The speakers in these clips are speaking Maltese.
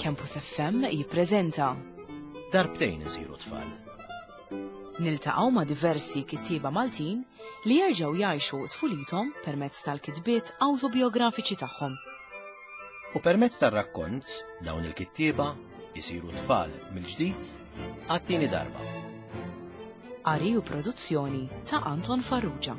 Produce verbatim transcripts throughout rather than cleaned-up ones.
Campus F M jippreżenta Darbtejn isiru tfal. Niltaqgħu ma' diversi kittieba Maltin li jerġgħu jgħixu tfulithom permezz tal-kitbiet awtobiografiċi tagħhom. U permezz tar-rakkont dawn il-kittieba jisiru tfal mill-ġdid għat-tieni darba. Qari u produzzjoni ta' Anton Farrugia.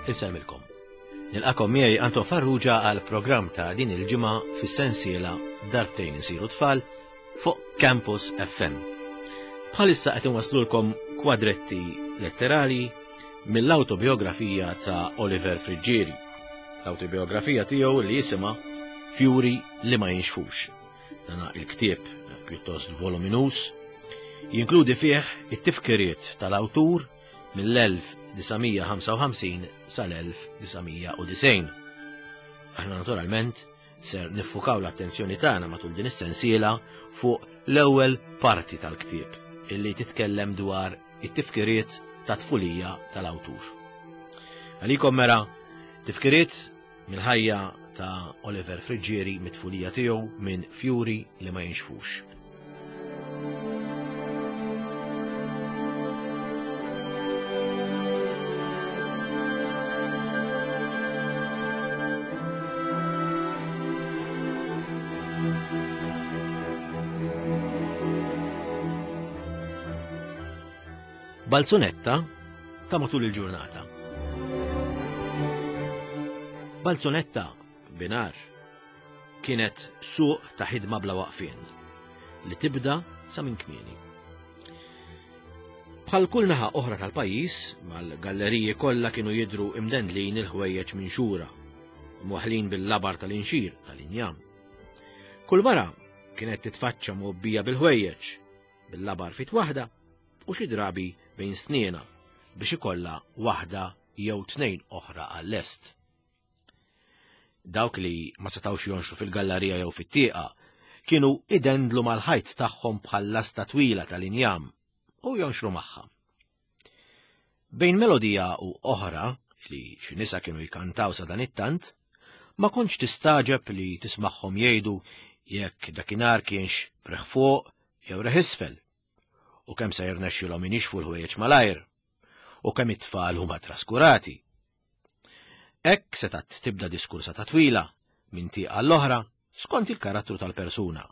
Insellmilkom. Nilqakom miegħi Anton Farrugia għal programm ta' din il-ġimgħa fis-sensiela Darbtejn isiru tfal fuq Campus F M. Bħalissa qed inwaslulkom kwadretti letterali mill-awtobiografija ta' Oliver Friggieri. L-awtobiografija tiegħu li jisimha Fjuri li ma jinxfux. Dana il-ktieb pjuttost voluminus jinkludi fih it-tifkiriet tal-awtur mill-elf disa' mija ħamsa u ħamsin sal-elf disa' mija u disgħin. Aħna naturalment ser niffukaw l-attenzjoni tagħna matul din is-sensiela fuq l-ewwel parti tal-ktieb illi titkellem dwar it-tifkiriet ta' tfulija tal-awtur. Għalikom mera tifkiriet mill-ħajja ta' Oliver Friggieri mit-tfulija tiegħu minn Fjuri li ma jinxfux. Balzunetta ta' matul il-ġurnata. Balzunetta binar kienet suq ta' ħidma bla waqfien li tibda sa minn kmieni. Bħal kull naħa oħra tal-pajjiż, mal-galleriji kollha kienu jidhru imdendlin il-ħwejjeġ minn xura, mwaħlin bil-labar tal-inxir tal-injam. Kull mara kienet titfaċċa mgħobbija bil-ħwejjeġ, bil-labar fit waħda u xi drabi bejn sniena biex ikollha waħda jew tnejn oħra għall-lest. Dawk li ma setgħux jonxu fil-gallerija jew fit-tieqa kienu idendlu mal-ħajt tagħhom bħal lasta twila tal-injam u jonxru magħha. Bejn melodija u oħra li xi nisa kienu jkantaw sa dan it-tant, ma kontx tistaġeb li tismagħhom jgħidu jekk dakinhar kienx reħ fuq jew reħ isfel, u kemm se jirnexxilhom inixfu l-ħwejjeġ malajr, u kemm it-tfal huma traskurati. Hekk setgħet tibda diskursa ta' twila minn tieqa l-oħra skont il-karattru tal-persuna.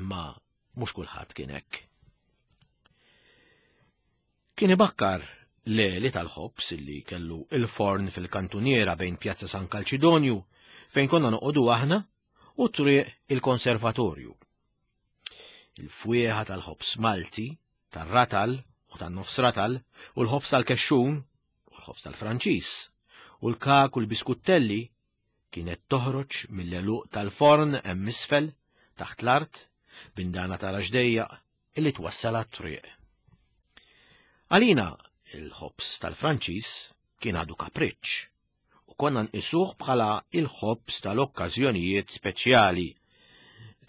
Ma mhux kulħadd kien hekk. Kien ibakkar Leli tal-ħobż illi kellu il-forn fil-kantuniera bejn Pjazza San Kalċidonju fejn konna noqogħdu aħna u triq il-konservatorju. Il-fwieħa tal-ħobż Malti, tar-ratal u tan-nofs ratal u l-ħobż tal-kexxun u l-ħobż tal-Franċiż u l-kak u l-biskuttelli kienet toħroġ mill-għeluq tal-forn hemm isfel taħt l-art bindana ta' raġdejjaq illi twassal għat-triq. Għalina il-ħobż tal-Franċiż kien għadu kapriċċ u konna nqisuh bħala il-ħobż tal-okkażjonijiet speċjali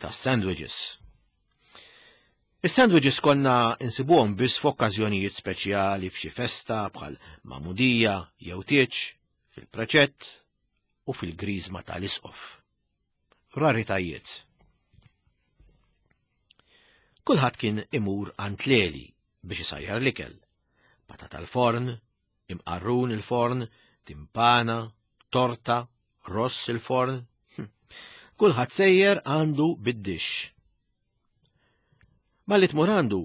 tas-sandwiches. Is-sandwiches konna insibuhom biss f'okkażjonijiet speċjali f'xi festa bħal magħmudija jew tieġ, fil-preċett u fil-griżma tal-isqof. Raritajiet. Kulħadd kien imur għand Leli biex isajjar l-ikel. Patata l-forn, imqarrun il-forn, timpana, torta, ross il-forn. Hm. Kulħadd sejjer għandu bid-dixx. Malli tmur għandu,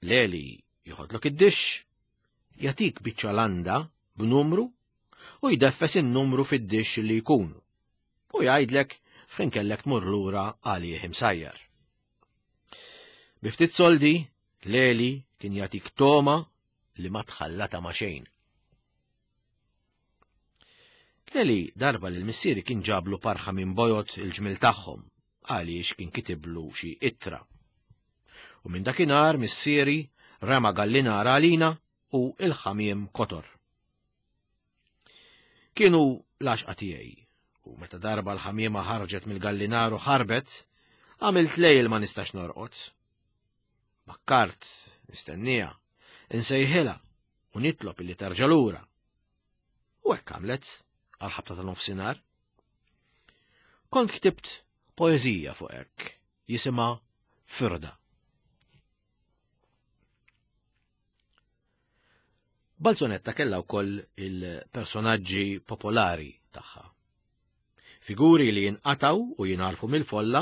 Leli joħodlok id-dixx, jagħtik biċċa landa b'numru u jdeffes in-numru fid-dixx li jkun u jgħidlek x'ħin kellek tmur lura għalih imsajjar. Bi ftit soldi, Leli kien jagħtik toma li ma tħallata ma' xejn. Leli darba lil missieri kien ġablu parħa minn bojod il-ġmil tagħhom għaliex kien kitiblu xi ittra. U minn dakinhar missieri rema gallinar għalina u il-ħamiem kotor. Kienu l-għaxqa tiegħi, u meta darba l-ħamiema ħarġet mill-gallinar u ħarbet, għamilt lejl ma nistax norqod. Bakkart, nistennija, Insejħilha u nitlob illi terġa' lura. U hekk għamlet għal ħabta ta' nofsinhar. Kont ktibt poeżija fuq hekk, jisimha Firda. Balzunetta kellha wkoll il-personaġġi popolari tagħha. Figuri li jinqataw u jingħarfu mill-folla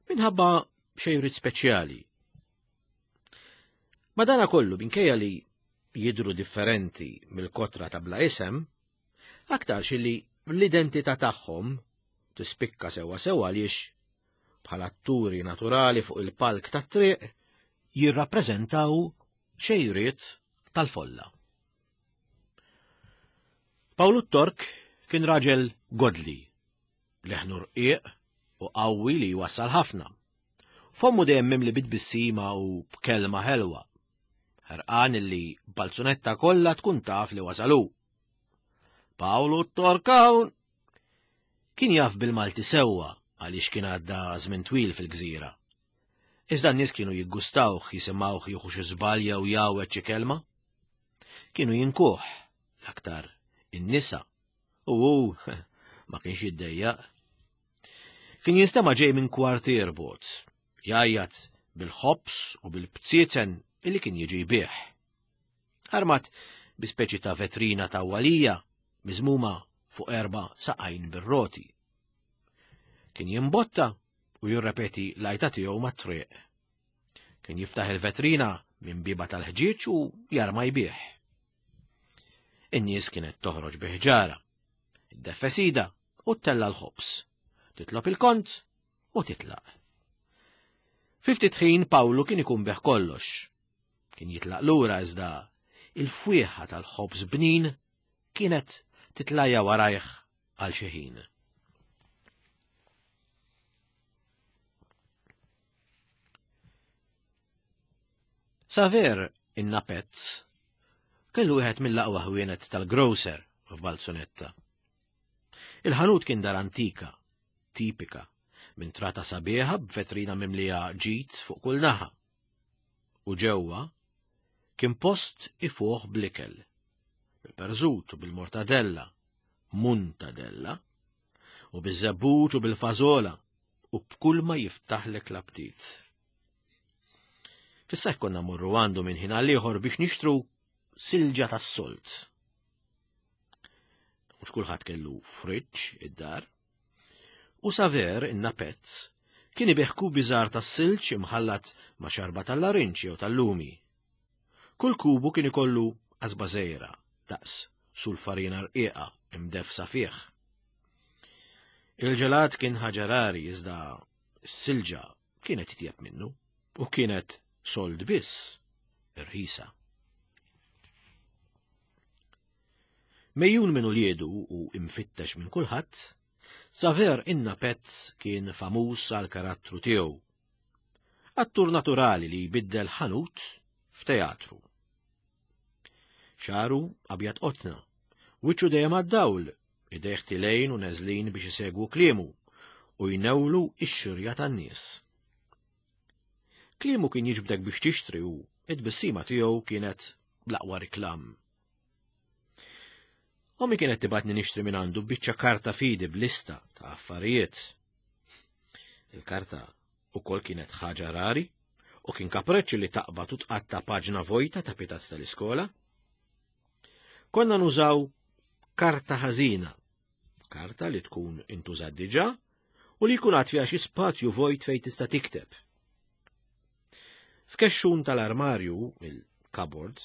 minħabba xejriet speċjali. Madana kollu minkejja li jidhru differenti mill-kotra ta' bla isem, aktarx li l-identità tagħhom tispikka sewwa sewwa għaliex bħala atturi naturali fuq il-palk tat-triq jirrappreżentaw xejriet tal-folla. Pawlu t-Tork kien raġel godli, leħnu rqiq u qawwi li jwassal ħafna. Fommu dejjem mimli bit-tbissima u b'kelma ħelwa. Ħerqan illi Balzunetta kollha tkun taf li wasalu. Pawlu t-Tork hawn! Kien jaf bil-Malti sewwa għaliex kien għadda żmien twil fil-gżira. Iżda n-nies kienu jiggustawh jisimgħuh jieħu xi żball jew jgħawweġ xi kelma. Kienu jinkuh l-aktar in-nisa u hu ma kienx jiddejjaq. Kien jinstema' ġej minn kwartier bogħod, jgħajjat bil-ħobż u bil-bzieten illi kien jiġi jbigħ. Armat bi speċi ta' vetrina ta' walija miżmuma fuq erba' saqajn bir-roti. Kien jimbotta u jirrepeti l-għajta tiegħu mat-triq. Kien jiftaħ il-vetrina minn biba tal-ħġieġ u jarma jbigħ. In-nies kienet toħroġ bi ħġara, iddeffesida u ttella l-ħobż, titlob il-kont u titlaq. Fi ftit ħin Pawlu kien ikun beħ kollox. Kien jitlaq lura iżda il-fwieħa tal-ħobż bnin kienet titlajja warajh għal xi ħin. Saver in-Napezz kellu wieħed mill-aqwa ħwienet tal-grocer f'Balzunetta. Il-ħanut kien dar antika, tipika, minn trata sabiħa b'vetrina mimlija ġid fuq kull naħa. U ġewwa kien post ifuħ blikel, bil-perżut u bil-mortadella, muntadella, u biż-żebbuġ u bil-fażola, u b'kull ma jiftaħlek l-aptit. Fis-sajf konna mmorru għandu minn ħin għal ieħor biex nixtru silġa tas-solt. Mhux kulħadd kellu friġġ id-dar. U Saver in-Napezz kien ibigħ kubi żgħar tas-silġ imħallat ma' xarba tal-larinġ jew tal-lumi. Kull kubu kien ikollu qasba żgħira daqs sulfarina rqiqa imdefsa fih. Il-ġelat kien ħaġa rari iżda s-silġa kienet titjeb minnu u kienet sold biss irħisa. Mejjun minn uliedu u imfittex minn kulħadd, Saver in-Napezz kien famuż għal karattru tiegħu. Attur naturali li jbiddel ħanut f'teatru. Xaru abjad qotna, wiċċu dejjem għad-dawl, idejh tilejn u neżlin biex isegwu kliemu u jnewlu x-xirja tan-nies. Kliemu kien jiġbdek biex tixtri u id-tbissima tiegħu kienet l-aqwa riklam. Ommi kienet tibatni nixtri minn għandu biċċa karta fidi b'lista ta' affarijiet. Il-karta ukoll kienet ħaġa rari u kien kapreċċ li taqbad u tqatta' paġna vojta ta' pitazz tal-iskola. Konna nużaw karta ħażina, karta li tkun intużat diġà u li jkun għad fiha xi spazju vojt fejn tista' tikteb. F'kexxun tal-armarju, il-cupboard,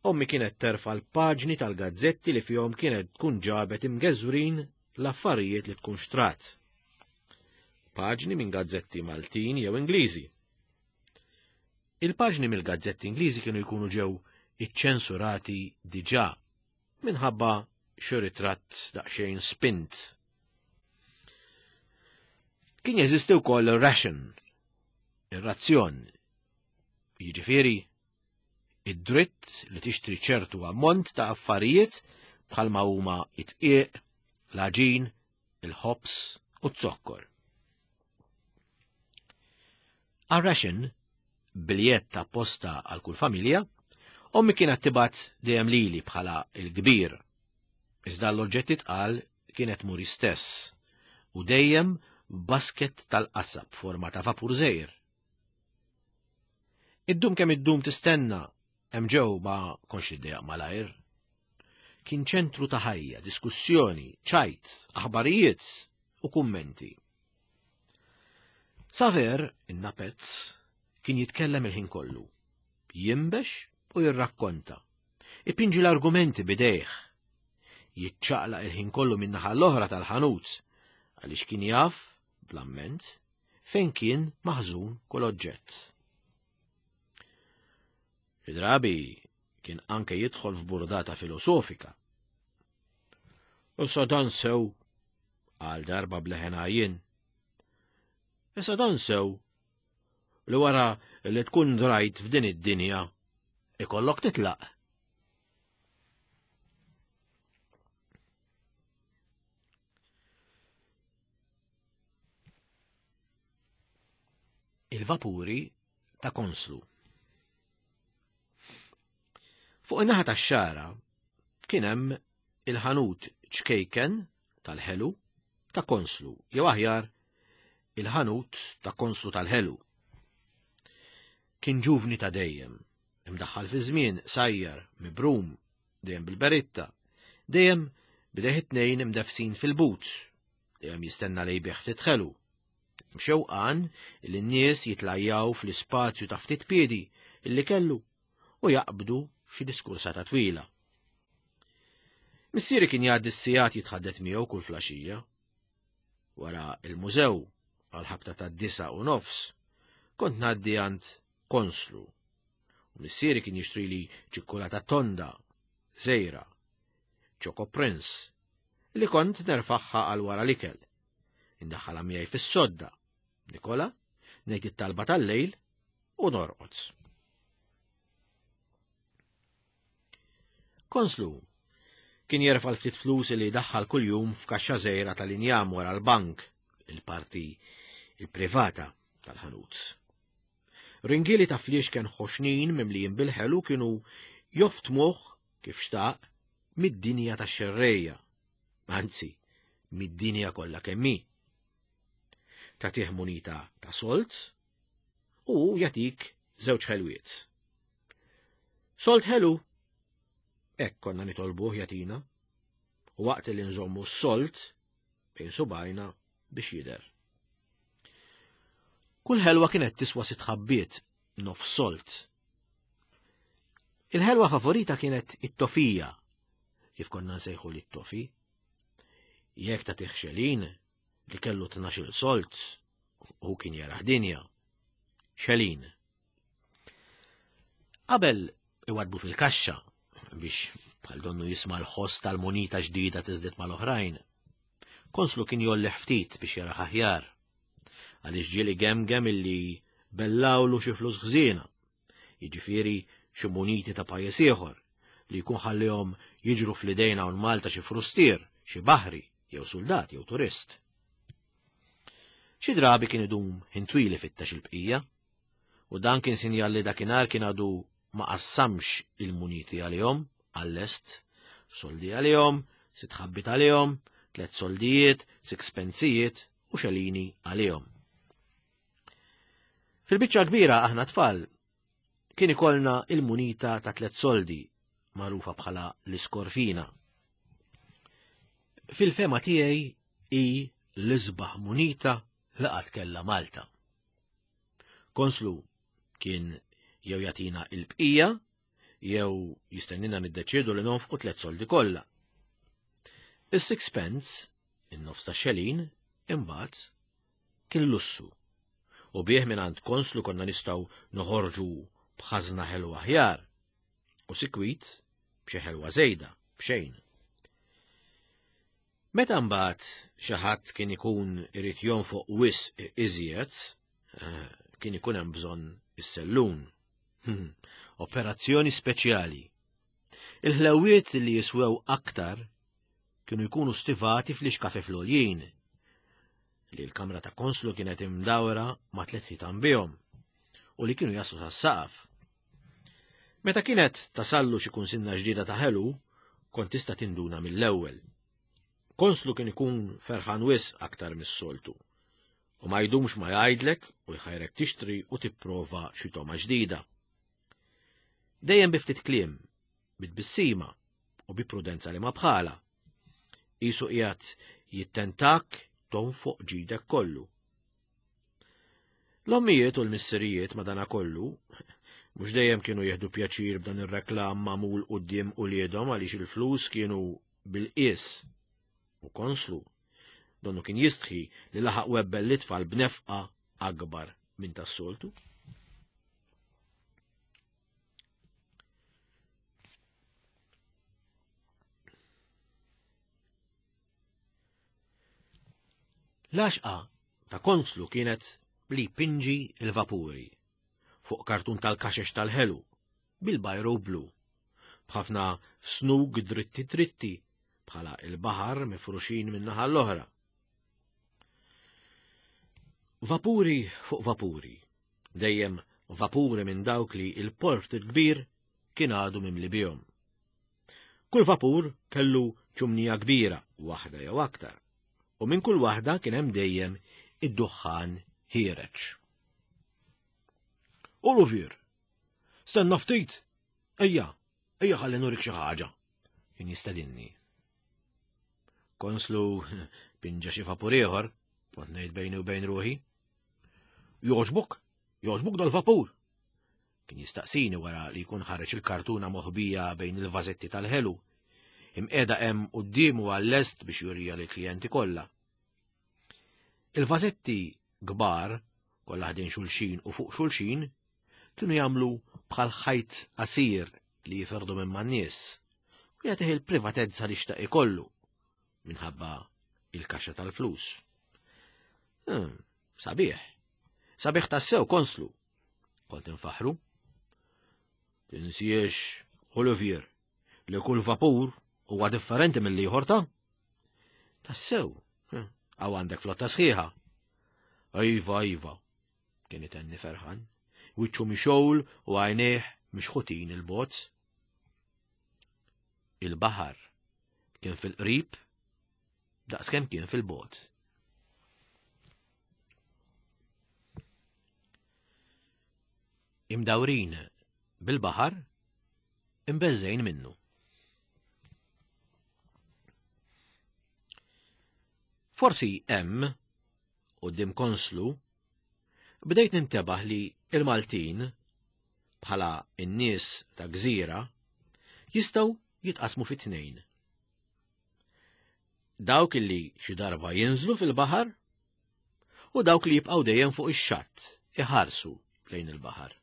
ommi kienet terfa' l-paġni tal-gazzetti li fihom kienet tkun ġabet imgeżwrin l-affarijiet li tkun xtrat. Paġni minn gazzetti Maltin jew Ingliżi. Il-paġni mill-gazzetti Ingliżi kienu jkunu ġew iċċensurati diġà minħabba xi ritratt daqsxejn spint. Kien jeżisti wkoll ir-ration, ir-razzjon, jiġifieri id-dritt li tixtri ċertu ammont ta' affarijiet bħalma huma it-tqiq, l-għaġin, il-ħobż u z-zokkor. Għar-ration, biljett apposta għal kull familja, Ommi kienet tibgħat dejjem lili bħala il-kbir. Iżda l-oġġetti tqal kienet muri stess u dejjem basket tal-qasab forma ta' vapur żgħir. Iddum kemm iddum tistenna, hemm ġew ma kontx iddejjaq malajr. Kien ċentru ta' ħajja, diskussjoni, ċajt, aħbarijiet u kummenti. Saver, in-napezz, kien jitkellem il-ħin kollu. Jimbex u jirrakkonta. Ipinġi l-argumenti bidejh. Jiċċaqlaq il-ħin kollu min-naħa l-oħra tal-ħanut, għaliex kien jaf, bl-amment, fejn kien maħżun kull oġġett. Xi drabi kien anke jidħol f'burdata filosofika. Issa dan sew, għal darba bleħen għajjien. Issa dan sew, li wara li tkun drajt f'din id-dinja, ikollok titlaq. Il-vapuri ta' Konslu. Fuq in-naħa tax-xara kien hemm il-ħanut ċkejken tal-ħelu ta' Konslu, jew aħjar il-ħanut ta' Konslu tal-ħelu. Kien ġuvni ta' dejjem, imdaħħal fi żmien, sajjar, mibrum, dejjem bil-beritta, dejjem bidejh it-tnejn imdefsin fil-but, dejjem jistenna li jbigħ ftit ħelu. Mxewqan li n-nies jitlajjaw fl-ispazju ta' ftit piedi illi kellu u jaqbdu xi diskursata twila. Missieri kien jgħaddi s-sigħat jitħaddet miegħu kull flaxija. Wara il-mużew għal ħabta ta' disa u nofs, kont ngħaddi għand Konslu. U missieri kien jixtrili ċikkulata tonda, żejra, Choco Prince, li kont nerfaħħa għal wara l-ikel. Indaħħalha miegħi fis-sodda, nikola, ngħid it-talba tal-lejl u norqod. Konslu kien jerfa' l-ftit flus li daħħal kuljum f'kaxxa żgħira tal-injam wara l-bank, il-parti il-privata tal-ħanut. Ringieli ta' fliex kien ħoxnin mimlijin bil-ħelu kienu joftmuh kif xtaq mid-dinja tax-xerrejja, anzi, mid-dinja kollha kemm hi. Tagħtih munita ta' solt u jagħtik żewġ ħelwiet. Solt ħelu, hekk konna nitolbuh jagħtina, u waqt li nżommu s-solt bejn subajna biex jidher. Kull ħelwa kienet tiswa sitt ħabbiet, nof solt. Il-ħelwa favorita kienet it-tofija, kif konna nsejħu li t-tofi. Jekk tagħtih xelin li kellu tnax-il solt, u kien jaraħ dinja. Xelin. Qabel iwadbu fil-kaxxa biex bħal donnu jisma' l-ħoss tal-munita ġdida tiżdied mal-oħrajn. Konslu kien jolli ftit biex jaraħ aħjar, għaliex ġieli gemgem illi bellawlu xi flus ħżiena, jiġifieri xi muniti ta' pajjiż ieħor li jkun ħallihom jiġru fl-idejn hawn Malta xi frustier, xi baħri, jew soldat jew turist. Xi drabi kien idum ħin twil ifittex il-bqija, u dan kien sinjal li dakinhar kien għadu ma qassamx il-muniti għalihom għall-est, soldi għalihom, sitt ħabbit għalihom, tliet soldijiet, sixpenzijiet u xelini għalihom. Fil-biċċa kbira aħna tfal kien ikollna il-munita ta' tliet soldi magħrufa bħala l-iskorfina. Fil-fema tiegħi hi l-isbaħ munita li qatt kellha Malta. Konslu kien jew jagħtina il-bqija jew jistennina niddeċiedu li nonfqu tliet soldi kollha. Is-sixpence, in-nofs ta' xelin, imbagħad kien lussu. U bih mingħand Konslu konna nistgħu noħorġu b'ħażna ħelwa aħjar u sikwit b'xi ħelwa żejda b'xejn. Meta mbagħad xi ħadd kien ikun irid jonfoq wisq iżjed, kien ikun hemm bżonn is-sellun. Operazzjoni speċjali. Il-ħlewiet li jiswew aktar kienu jkunu stivati fl-ixkafe fl-għoljin, li l-kamra ta' Konslu kienet imdawra ma' tliet ħitan bihom u li kienu jaslu sas-saqaf. Meta kienet tasallu xi kunsinna ġdida ta' ħelu, kont tista' tinduna mill-ewwel. Konslu kien ikun ferħan wisq aktar mis-soltu. U ma jdumx ma jgħidlek u jħajrek tixtri u tipprova xi togħma ġdida. Dejjem bi ftit kliem, bi tbissima u bi prudenza li ma bħala. Qisu qiegħed jittentak tonfoq ġidek kollu. L-ommijiet u l-missirijiet madanakollu mhux dejjem kienu jieħdu pjaċir b'dan ir-reklam magħmul quddiem uliedhom għaliex il-flus kienu bil-qies u konslu. Donnu kien jistħi li laħaq webbel l-itfal b'nefqa akbar minn tas-soltu. L-għaxqa ta' konslu kienet li jpinġi l-vapuri fuq kartun tal-kaxex tal-ħelu bil-bajro blu, b'ħafna snug dritti dritti bħala il-baħar mifruxin min-naħa l-oħra. Vapuri fuq vapuri, dejjem vapuri minn dawk li il-port il-kbir kien għadu mimli bihom. Kull vapur kellu ċumnija kbira, waħda jew aktar, u minn kull waħda kien hemm dejjem id-duħħan ħiereġ. Olivier, stenna ftit, ejja, ejja ħalli nurik xi ħaġa, kien jistedinni. Konslu pinġa xi vapur ieħor, kont ngħid bejni u bejn ruħi. Jogħġbok, jogħġbok dal-vapur. Kien jistaqsini wara li jkun ħareġ il-kartuna moħbija bejn il-vażetti tal-ħelu, imqiegħda hemm quddiemu għall-lest biex jurija lill-klijenti kollha. Il-vażetti kbar, kollha ħdejn xulxin u fuq xulxin, kienu jagħmlu bħal ħajt qasir li jiferdu minn man-nies u jagħtih il-privatezza li xtaq ikollu minħabba il-kaxxa tal-flus. Hmm, sabiħ, sabiħ tassew konslu, kont infaħru. Tinsiex, Olivier, li kull vapur huwa differenti mill-ieħor ta' tassew, għaw għandek flotta sħiħa. Iva, iva, kien itenni ferħan, wiċċu mixgħul u għajnejh mixħutin il-bozz. Il-baħar kien fil-qrib daqskemm kien fil-bot. Imdawrin bil-baħar, imbeżżejn minnu. Forsi hemm, quddiem konslu, bdejt nintebaħ li il-Maltin, bħala n-nies ta' gżira, jistgħu jitqasmu fi tnejn. Dawk li xi darba jinżlu fil-baħar u dawk li jibqgħu dejjem fuq ix-xatt iħarsu lejn il-baħar.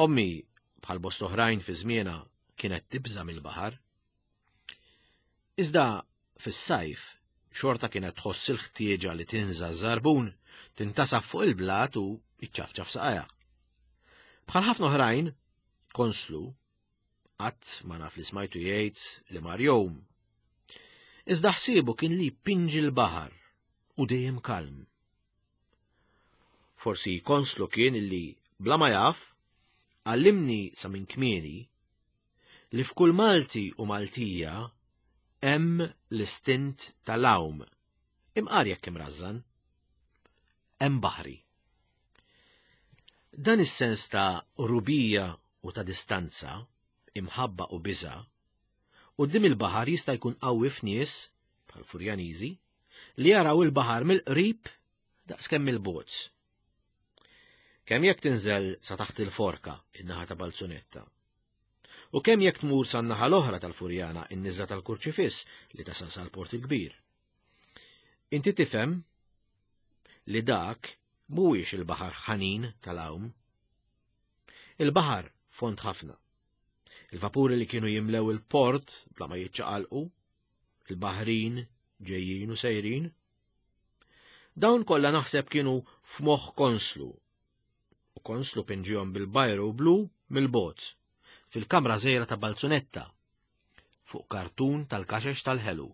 Ommi, bħal bost oħrajn fi żmienha, kienet tibża' mill-baħar. Iżda fis-sajf xorta kienet tħoss il-ħtieġa li tinża' ż-żarbun, tintasaf fuq il-blat u iċċafċaf saqajha. Bħal ħafna oħrajn, konslu, qatt ma naf li smajtu jgħid li mar jom. Iżda ħsiebu kien li jpinġi l-baħar u dejjem kalm. Forsi konslu kien li bla ma jaf għallimni sa minn kmieni li f'kull Malti u Maltija hemm l-istint tal-għawm, imqar jekk imrażżan, hemm baħri. Dan is-sens ta' rubija u ta' distanza, imħabba u biża', quddiem il-baħar jista' jkun qawwi f'nies, bħal Furjaniżi, li jaraw il-baħar mill-qrib daqskemm il-bogħod. Kemm jekk tinżel sa taħt il-forka in-naħa ta' Balzunetta, u kemm jekk tmur sa naħa l-oħra tal-Furjana in-niżla tal-Kurċifiss li tasal sal-Port il-Kbir. Inti tifhem li dak mhuwiex il-baħar ħanin tal-għawm. Il-baħar fond ħafna. Il-vapuri li kienu jimlew il-port bla ma jiċċaqalqu, il-baħrin ġejjin u sejrin. Dawn kollha naħseb kienu f'moħħ konslu. U konslu pinġihom bil-bajru blu mill-bot fil-kamra żgħira ta' Balzunetta fuq kartun tal-kaxex tal-ħelu.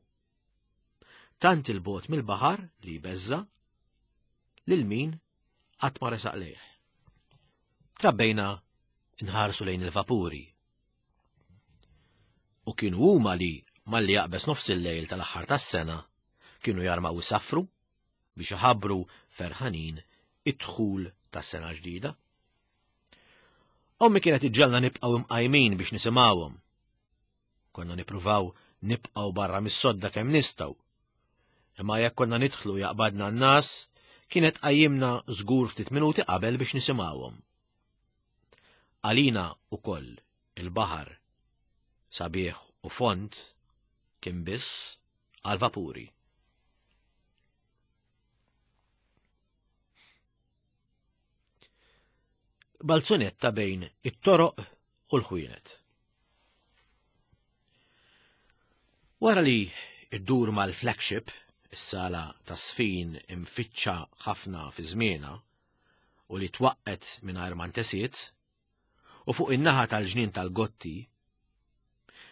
Tant il-bot mill-baħar li jbeżża lil min qatt ma resaq lejh. Trabbejna nħarsu lejn il-vapuri. U kienu huma li malli jaqbeż nofs il-lejl tal-aħħar tas-sena kienu jarmaw isaffru biex iħabbru ferħanin id-dħul tas-sena ġdida. Ommi kienet iġġalna nibqgħu imqajmin biex nisimgħuhom. Konna nippruvaw nibqgħu barra mis-sodda kemm nistgħu. Imma jekk konna nidħlu jaqbadna n-nas, kienet qajjimna żgur ftit minuti qabel biex nisimgħuhom. Għalina ukoll il-baħar sabiħ u fond kien biss għal-vapuri. Balzunetta bejn it-toroq u l-ħwienet. Wara li iddur mal-flagship, is-sala tas-sfin imfittxa ħafna fi żmienha u li twaqqet mingħajr ma ntesiet, u fuq in-naħa tal-ġnien tal-Gotti,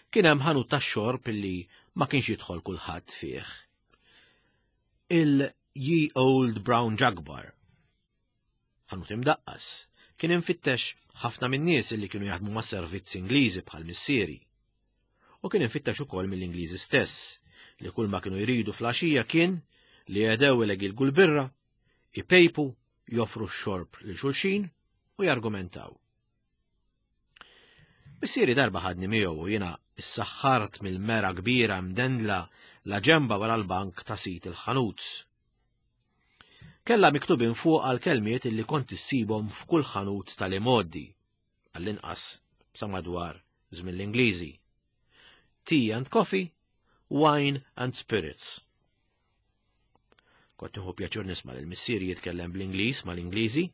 kien hemm ħanut tax-xorb illi ma kienx jidħol kulħadd fih. Il-Ye Old Brown Jug Bar. Ħanut imdaqqas, kien infittex ħafna min-nies illi kienu jaħdmu ma' servizzi Ingliżi bħal missieri. U kien infittex ukoll mill-Ingliżi stess, li kull ma kienu jridu fl-għaxija kien li jedew ilegilgu l-birra, ipejpu, joffru x-xorb lil xulxin u jargumentaw. Missieri darba ħadni miegħu u jiena issaħħart mill-mera kbira mdendla la ġemba wara l-bank ta' sit il-ħanut. Kella miktubin fuq għal kelmiet illi kont issibhom f'kull ħanut tal-imoddi, għall-inqas sa madwar żmien l-Ingliżi. Tea and coffee, wine and spirits. Kont nieħu pjaċur nisma' lil missieri jitkellem bl-Ingliż mal-Ingliżi,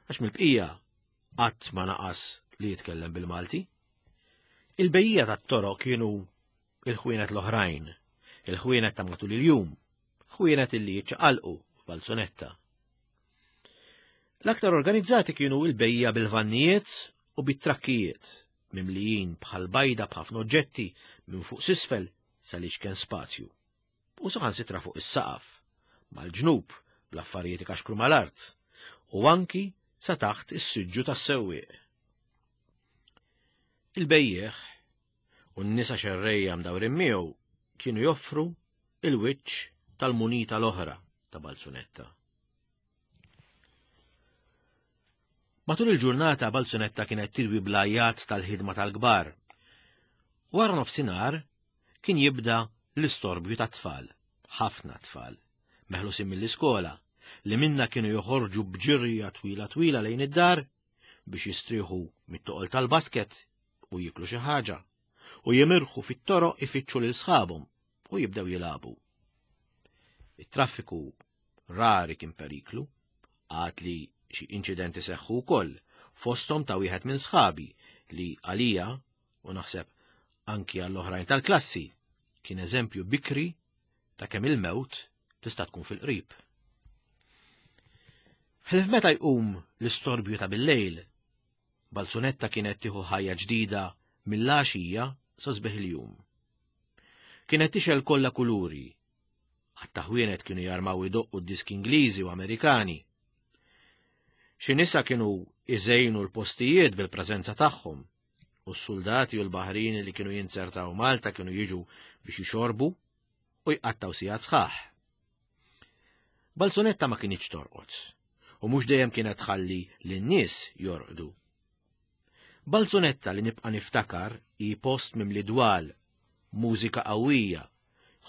għax mill-bqija qatt ma naqas li jitkellem bil-Malti. Il-bejjija tat-toroq kienu il-ħwienet l-oħrajn, il-ħwienet ta' matul il-jum, ħwienet illi jiċċaqalqu f'Balzunetta. L-aktar organizzati kienu il-bejja bil-vannijiet u bit-trakkijiet, mimlijin bħal bajda b'ħafna oġġetti minn fuq s'isfel sal-iċken spazju. U saħansitra fuq is-saqaf, mal-ġnub bl-affarijiet ikaxkru mal-art, u anki sa taħt is-siġġu tas-sewwieq. Il-bejjeħ u n-nisa xerrejja mdawrin miegħu kienu joffru il-wiċċ tal-munita l-oħra ta' Balzunetta. Matul il-ġurnata Balzunetta kienet tilwi bl-ajjat tal-ħidma tal-kbar. Wara nofsinhar kien jibda l-istorbju tat-tfal, ħafna tfal, meħlusin mill-iskola, li minna kienu joħorġu b'ġirja twila twila lejn id-dar biex jistrieħu mit-toqol tal-basket u jiklu xi ħaġa, u jimirħu fit-toroq ifittxu lil sħabhom u jibdew jilagħbu. It-traffiku rari kien periklu, għad li xi inċidenti seħħu wkoll, fosthom ta' wieħed minn sħabi li għalija, u naħseb anki għall-oħrajn tal-klassi, kien eżempju bikri ta' kemm il-mewt tista' tkun fil-qrib. Ħlief meta jqum l-istorbju ta' bil-lejl, Balzunetta kienet tieħu ħajja ġdida mill-għaxija sa sbieħ il-jum. Kienet tixgħel kollha kuluri, ħatta ħwienet kienu jarmaw idoqqu d-diski Ingliżi u Amerikani. Xi nisa kienu iżejnu l-postijiet bil-preżenza tagħhom, u s-soldati u l-baħrin li kienu jinzertaw Malta kienu jiġu biex jixorbu u jqattaw sigħat sħaħ. Balzunetta ma kinitx torqod, u mhux dejjem kienet tħalli lin-nies jorqdu. Balzunetta li nibqa' niftakar hi post mimli dwal, mużika qawwija,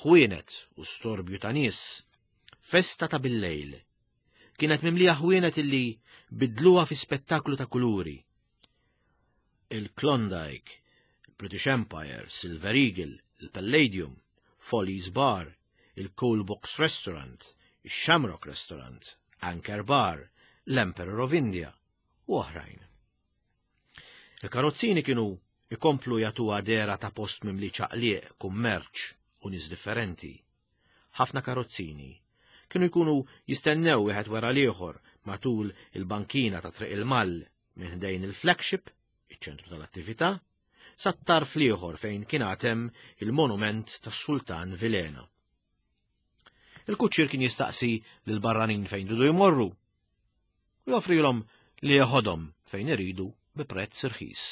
ħwienet u storbju ta' nies, festa ta' bil-lejl. Kienet mimlija ħwienet illi bidluha fi spettaklu ta' kuluri. Il-Klondike, il-British Empire, Silver Eagle, il-Palladium, Follies Bar, il-Coal Box Restaurant, il-Shamrock Restaurant, Anchor Bar, l-Emperor of India u oħrajn. Il-karozzini kienu ikomplu jagħtuha dehra ta' post mimli ċaqliq, kummerċ u nies differenti. Ħafna karozzini kienu jkunu jistennew wieħed wara l-ieħor matul il-bankina ta' Triq il-Mall minn ħdejn il-flagship, iċ-ċentru tal-attività, sa tarf l-ieħor fejn kien għatem il-monument tas-Sultan Vilena. Il-kuċċier kien jistaqsi lil barranin fejn iridu jmorru u joffrilhom li jeħodhom fejn iridu bi prezz irħis.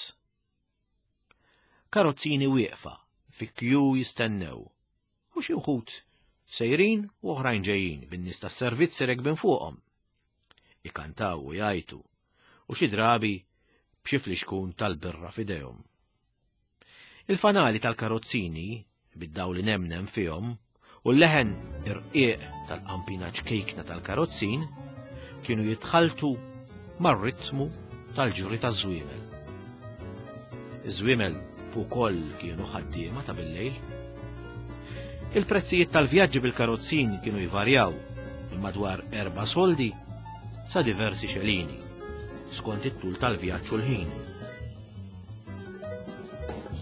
Karozzini wieqfa fi kju jistennew u xi wħud sejrin u oħrajn ġejjin bin-nies tas-servizz rekbin fuqhom. Ikantaw u jgħajtu u xi drabi b'xi flixkun tal-birra f'idejhom. Il-fanali tal-karozzini bid-dawl nemnem fihom u l-leħen irqiq tal-qampina ċkejkna tal-karozzin kienu jitħaltu mar-ritmu tal-ġuri taż-żwiemel. Iż-żwiemel ukoll kienu ħaddiema ta' bil-lejl. Il-prezzijiet tal-vjaġġi bil-karozzin kienu jvarjaw minn madwar erba' soldi sa diversi xelini, skont it-tul tal-vjaġġ u l-ħin.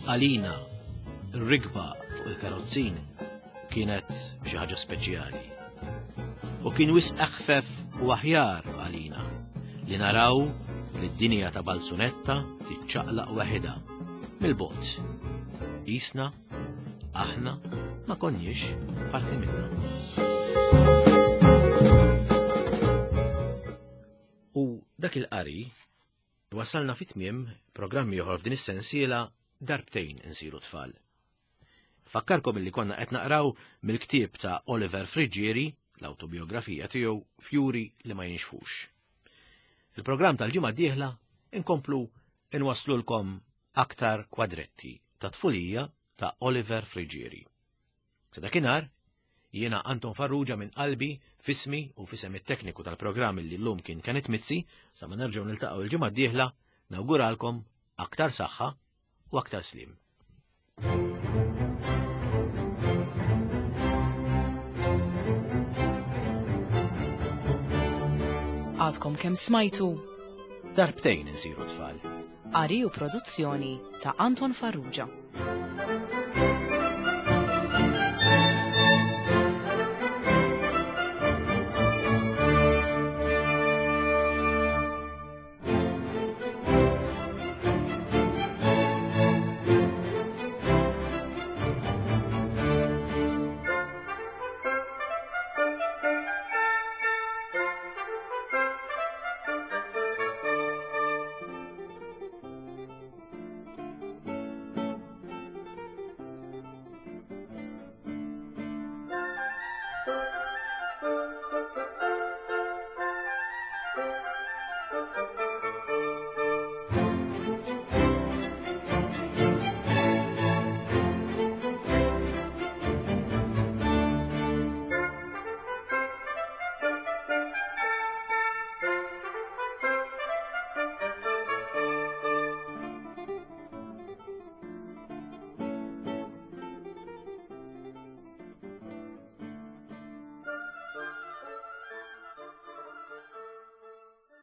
Għalina, r-rikba fuq il-karozzin kienet xi ħaġa speċjali. U kien wisq eħfef u aħjar għalina li naraw li d-dinja ta' Balzunetta tiċċaqlaq waħedha mill-bogħod. Qisna, aħna ma konniex parti minnha. U dak il-qari wasalna fi tmiem programm ieħor f'din is-sensiela Darbtejn insiru tfal. Fakkarkom illi konna qed naqraw mill-ktieb ta' Oliver Friggieri, l-autobiografija tiegħu Fjuri li ma jinxfux. Il-programm tal-ġimgħa d-dieħla inkomplu inwaslulkom aktar kwadretti ta' tfulija ta' Oliver Friggieri. Sa dakinhar, jiena Anton Farrugia minn qalbi, f'ismi u f'isem it-tekniku tal-programm li llum kien Kenneth Mizzi, sa ma nerġgħu niltaqgħu il-ġimgħa d-dieħla, nawguralkom aktar saħħa u aktar slim. Għadkom kemm smajtu Darbtejn insiru tfal. Qari u produzzjoni ta' Anton Farrugia. Thank you.